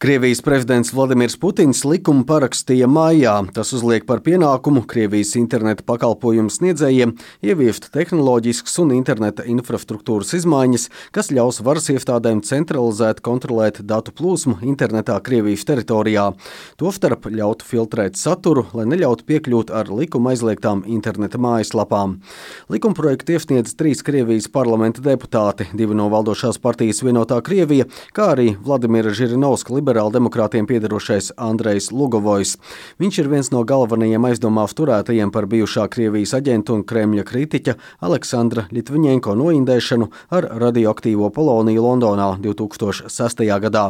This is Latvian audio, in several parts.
Krievijas prezidents Vladimirs Putins likumu parakstīja maijā. Tas uzliek par pienākumu Krievijas interneta pakalpojumu sniedzējiem ieviest tehnoloģiskas un interneta infrastruktūras izmaiņas, kas ļaus varas iestādēm centralizēt kontrolēt datu plūsmu internetā Krievijas teritorijā. Tostarp ļautu filtrēt saturu, lai neļautu piekļūt ar likuma aizliegtām interneta mājaslapām. Likumprojektu iesniedz 3 Krievijas parlamenta deputāti, 2 no valdošās partijas Vienotā Krievija, kā arī Vladimira Žirinovska liberāldemokrātiem piederošais Andrejs Lugovojs. Viņš ir viens no galvenajiem aizdomās turētajiem par bijušā Krievijas aģentu un Kremļa kritiķa Aleksandra Ļitviņenko noindēšanu ar radioaktīvo poloniju Londonā 2006. gadā.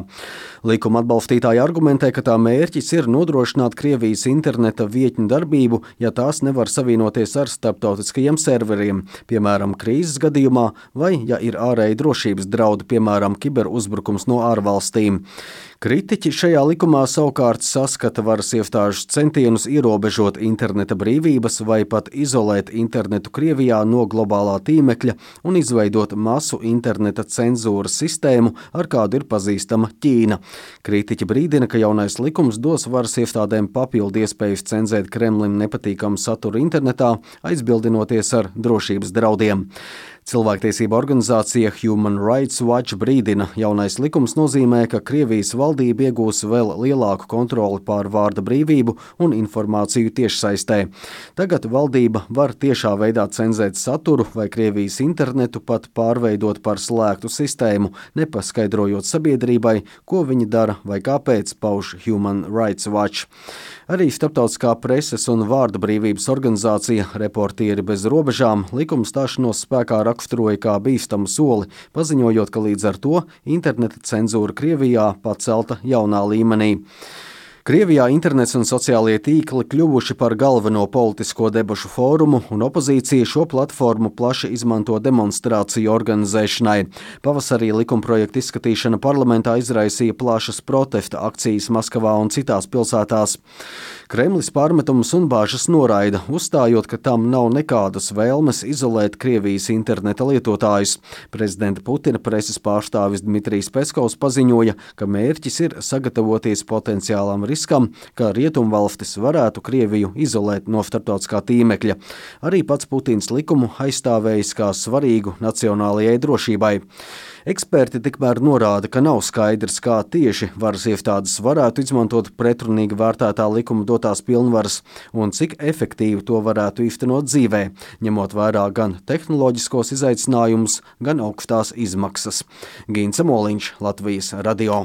Likuma atbalstītāji argumentē, ka tā mērķis ir nodrošināt Krievijas interneta vietņu darbību, ja tās nevar savienoties ar starptautiskajiem serveriem, piemēram, krīzes gadījumā, vai ja ir ārēji drošības draudi, piemēram, kiberuzbrukums no ārvalstīm. Kritiķi šajā likumā savukārt saskata varas iestāžu centienus ierobežot interneta brīvības vai pat izolēt internetu Krievijā no globālā tīmekļa un izveidot masu interneta cenzūras sistēmu, ar kādu ir pazīstama Ķīna. Kritiķi brīdina, ka jaunais likums dos varas iestādēm papildu iespējas cenzēt Kremlim nepatīkamu saturu internetā, aizbildinoties ar drošības draudiem. Cilvēktiesība organizācija Human Rights Watch brīdina, jaunais likums nozīmē, ka Krievijas valdība iegūs vēl lielāku kontroli pār vārda brīvību un informāciju tiešsaistē. Tagad valdība var tiešā veidā cenzēt saturu vai Krievijas internetu pat pārveidot par slēgtu sistēmu, nepaskaidrojot sabiedrībai, ko viņi dara vai kāpēc, pauž Human Rights Watch. Arī Starptautiskā preses un vārda brīvības organizācija Reportieri bez robežām likuma stāšanos spēkā raksturoja kā bīstamu soli, paziņojot, ka līdz ar to interneta cenzūra Krievijā pacelta jaunā līmenī. Krievijā internets un sociālie tīkli kļuvuši par galveno politisko debašu fórumu, un opozīcija šo platformu plaši izmanto demonstrāciju organizēšanai. Pavasarī likumprojekta izskatīšana parlamentā izraisīja plašas protesta akcijas Maskavā un citās pilsētās. Kremlis pārmetumus un bāžas noraida, uzstājot, ka tam nav nekādas vēlmes izolēt Krievijas interneta lietotājus. Prezidenta Putina preses pārstāvis Dmitrijs Peskovs paziņoja, ka mērķis ir sagatavoties potenciālam riskam, ka rietumvalstis varētu Krieviju izolēt no starptautiskā tīmekļa. Arī pats Putins likumu aizstāvējis kā svarīgu nacionālajai drošībai. Eksperti tikmēr norāda, ka nav skaidrs, kā tieši varas iestādes varētu izmantot pretrunīgi vērtētā likuma dotās pilnvaras un cik efektīvi to varētu īstenot dzīvē, ņemot vērā gan tehnoloģiskos izaicinājumus, gan augstās izmaksas. Gīns Samoliņš, Latvijas radio.